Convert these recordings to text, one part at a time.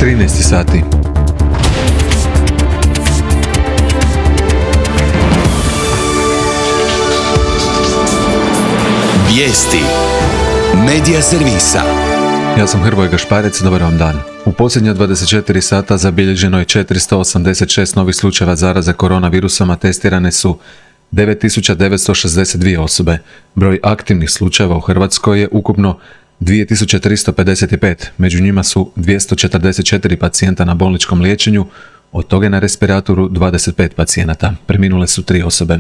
13 sati. Vijesti Medija servisa. Ja sam Hrvoje Gašparec, dobar vam dan. U posljednja 24 sata zabilježeno je 486 novih slučajeva zaraze koronavirusom, a testirane su 9962 osobe. Broj aktivnih slučajeva u Hrvatskoj je ukupno 2355, među njima su 244 pacijenta na bolničkom liječenju, od toga je na respiratoru 25 pacijenata. Preminule su 3 osobe.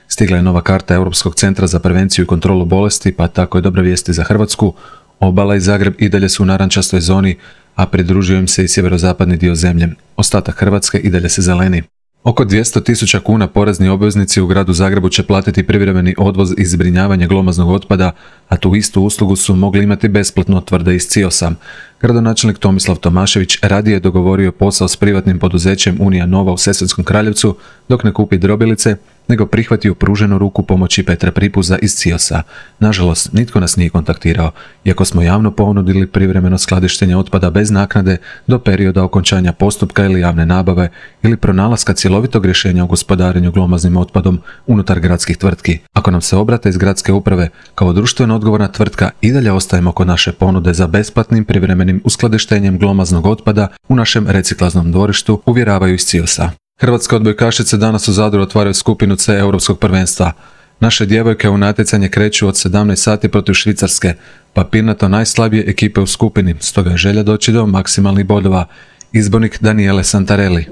Stigla je nova karta Europskog centra za prevenciju i kontrolu bolesti, pa tako je dobra vijesti za Hrvatsku. Obala i Zagreb i dalje su u narančastoj zoni, a pridružio im se i sjeverozapadni dio zemlje. Ostatak Hrvatske i dalje se zeleni. Oko 200.000 kuna porezni obveznici u gradu Zagrebu će platiti privremeni odvoz i zbrinjavanje glomaznog otpada, a tu istu uslugu su mogli imati besplatno, tvrde iz CIOS-a. Gradonačelnik Tomislav Tomašević radije je dogovorio posao s privatnim poduzećem Unija Nova u Sesvetskom Kraljevcu dok ne kupi drobilice, nego prihvatio pruženu ruku pomoći Petra Pripuza iz CIOS-a. Nažalost, nitko nas nije kontaktirao, iako smo javno ponudili privremeno skladištenje otpada bez naknade do perioda okončanja postupka ili javne nabave ili pronalaska cjelovitog rješenja o gospodarenju glomaznim otpadom unutar gradskih tvrtki. Ako nam se obrate iz gradske uprave, kao društveno odgovorna tvrtka i dalje ostajemo kod naše ponude za besplatnim privremenim uskladištenjem glomaznog otpada u našem reciklaznom dvorištu, uvjeravaju iz CIOS-a. Hrvatske odbojkašice danas u Zadru otvaraju skupinu C Europskog prvenstva. Naše djevojke u natjecanje kreću od 17 sati protiv Švicarske, papirnato najslabije ekipe u skupini, stoga je želja doći do maksimalnih bodova. Izbornik Daniele Santarelli.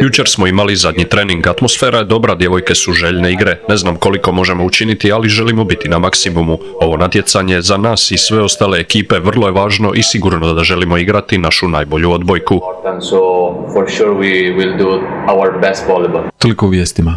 Jučer smo imali zadnji trening, atmosfera je dobra, djevojke su željne igre. Ne znam koliko možemo učiniti, ali želimo biti na maksimumu. Ovo natjecanje za nas i sve ostale ekipe vrlo je važno i sigurno da želimo igrati našu najbolju odbojku. Toliko u vijestima.